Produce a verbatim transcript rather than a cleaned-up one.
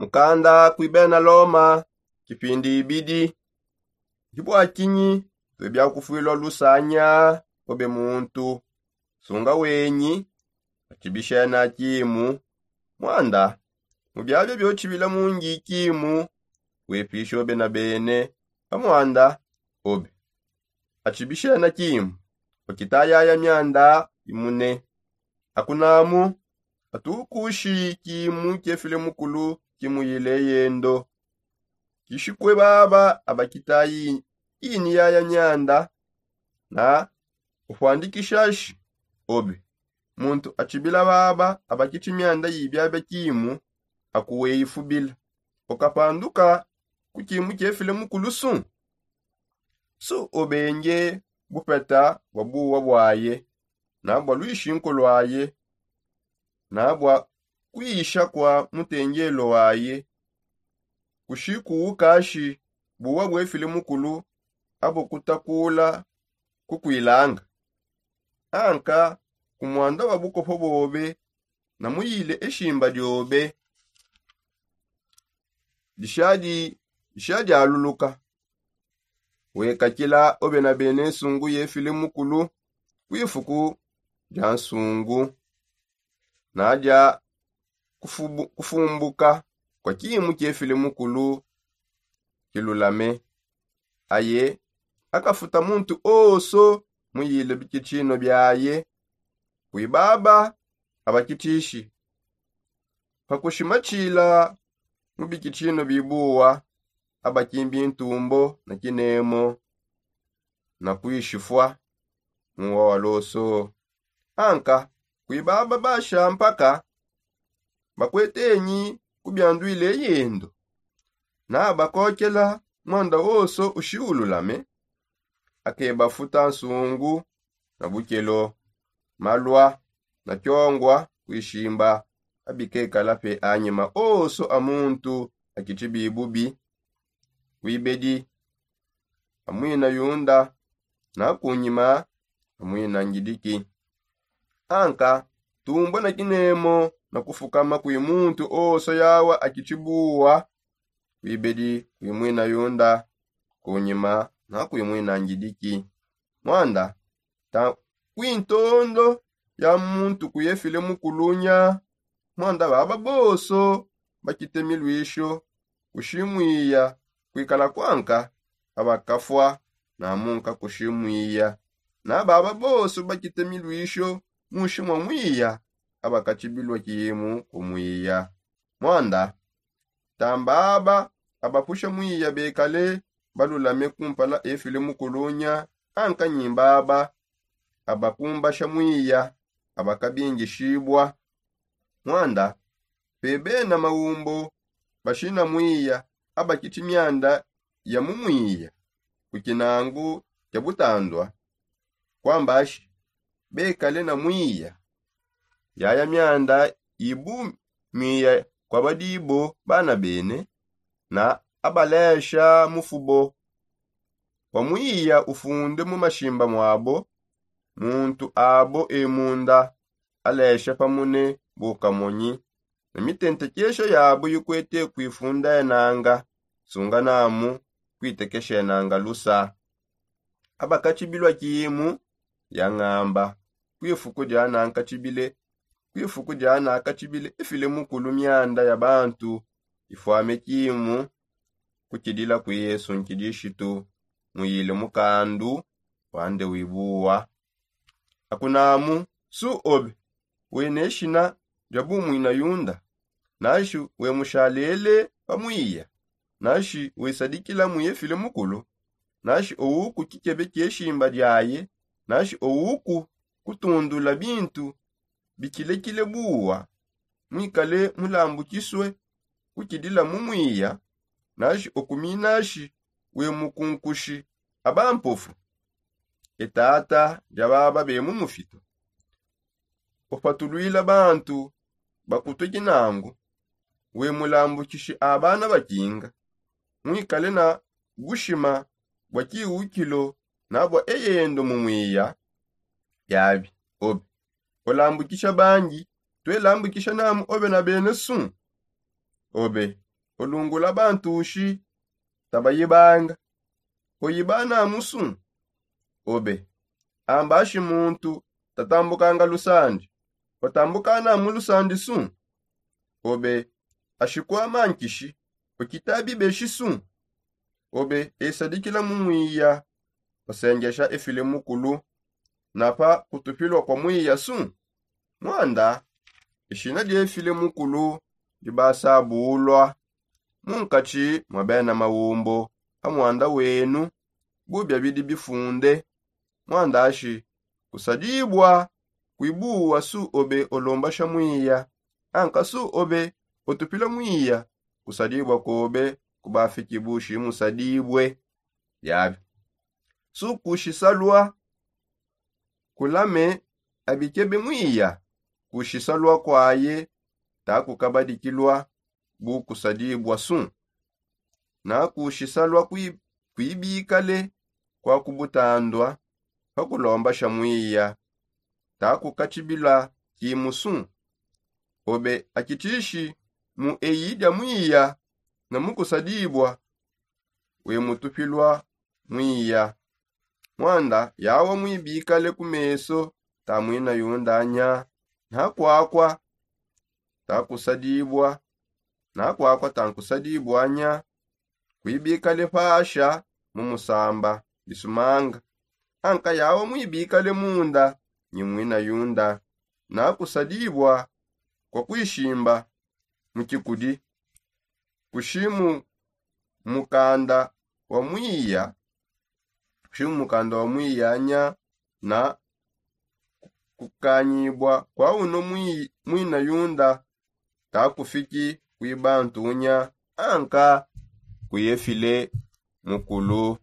Mukanda kui bena Loma, kipindi ibidi. Ndi bua kinyi tuebia kufuilua lusanya? Obe muntu, sunga wenyi, atshibishena kimu. Muanda, mu biabia biotshibila mungi kimu, wepisha obe na bene. Pa muanda, obe atshibishena kimu, wakita yaya mianda imune. Akunamu, atukushi kimu kiefile mukulu kimuyile yendo. Kishikue baba abakita yi- ini yaya mianda, na ufuandikishashi obe. Muntu atshibila baba abakiti mianda yibiabia kimu, akuweyifubila. Ukapanduka ku kimu kiefile mukulu su? Su obenge bupeta bua buwa buaye, na bua luishinku luaye, na bua kuisha kua mutengelo waye? Kushikuukashi buwa buefile mukulu abo kutakula kukuilanga. Anka ku muanda wa bukopo bobe, na muyile eshimba diobe dishadi- dishadialuluka. Wekakila obe na bene nsungu yefile mukulu ku ifuku dia nsungu, na dia kufubu- kufumbuka kua kimu kiefile mukulu kilulame. Aye akafuta muntu onso muyile bikitshino biaye. Kuibaba abakitishi, pakushimatshila mu bikitshino bibuwa, abakimbi ntumbo na kinemo, na kuishifua muwa wa loso. Anka kuibaba basha mpaka bakuetenyi kubianduile yendo, na bakokela muanda onso ushiululame, akebafuta nsungu na bukelo, malua na kiongua kuishimba. Abikekala pe anyima onso a muntu akitshibi bubi, kuibedi a muina yunda, na kunyima a muina ngidiki. Anka tumbua na kinemo na kufukama kui muntu onso yawa akitshibuwa, kuibedi kui muina yunda, kunyima na kui muina ngidiki. Muanda ta- kuintondo ya muntu kuyefile mukulunya. Muanda baba bonso bakite miluisho kushimwiya kuikala kuanka, abakafua na munka kushimwiya. Na baba bonso bakite miluisho munshi mua mwiya, abakatshibilua kimu kumwiya. Muanda tambaba abapusha mwiya bekale balulame kumpala efile mukulunya, anka nyimbaba abakumbasha mwiya abakabingishibua. Muanda pe bena maumbo bashina mwiya abakiti mianda ya mu mwiya ku kinangu kia butandua, kuambashi bekale na mwiya. Yaya mianda ibu mwiya kua badibo bana bene, na abalesha mufubo wa mwiya ufunde mu mashimba muabo. Muntu abo e munda alesha pamune bu kamonyi, na mitentekesha yabo ikuete kuifundenanga, sunga namu kuitekeshenanga lusa. Abakatshibilua kimu ya ngamba, kuifuku dia nankatshibile kuifuku dia nakatshibile ifile mukulu mianda ya bantu ifuame kimu kutshidila kui Yesu Nkidishitu muyile mukandu wande wibuwa. Akunamu su obe wena eshina dia bumuina yunda, nashi wemushalele pa mwiya, nashi wesadikila muyefile mukulu, nashi owuku kikebe kieshimba diaye, nashi owuku kutundula bintu bikilekile buwa, mwikale mulambukisue kukidila mu mwiya, nashi okuminashi wemukunkushi aba mpofu. E tata dia baba bemu mufitu, upatuluila bantu bakutue kinangu, wemulambukishi a bana bakinga, mwikale na bushima bua kiwukilo na bua eyendo mu mwiya. Yabi obe ulambukisha bangi, tuelambukisha namu obe na bene su? Obe olungula bantushi tabayibanga. Oyibana musu? Obe ambashi muntu tatambukanga lusandi, otambukana mu lusandi su? Obe ashikwama nkishi okitabibeshi su? Obe esadikila mu mwiya osengesha efile mukulu napa kutupilwa kwa mwiya su? Mwanda eshina diefile mukulu dibasabulwa munkatshi mwa bena maumbo a mwanda wenu bubia bidi bifunde. Mwandashi kusadibwa kwibuwa su obe olombasha mwiya anka su obe otupila mwiya kusadibwa kobe kubafiki bushi musadibwe. Yabi su kushisalwa kulame abikebe mwiya kushisalwa kwaye takukabadikilwa bu kusadibwa su. Na kushisalwa kwibikale kwa kubutandwa pakulombasha mwiya takukatshibila kimu su. Obe akitishi mu eyi dia mwiya na mukusadibwa wemutupilwa mwiya. Mwanda yawa mwibikale ku meso ta mwina yunda nya ntakwakwa takusadibwa. Ntakwakwa tankusadibwa nya kwibikale pasha mu musamba bisumanga. Anka yawa mwibikale munda nyi mwina yunda nakusadibwa kwa kwishimba mu kikudi kushimu mukanda wa mwiya kushimu mukanda wa mwiya nya na kukanyibwa kwa uno mwina yunda takufiki kwibantu nya anka kuyefile mukulu.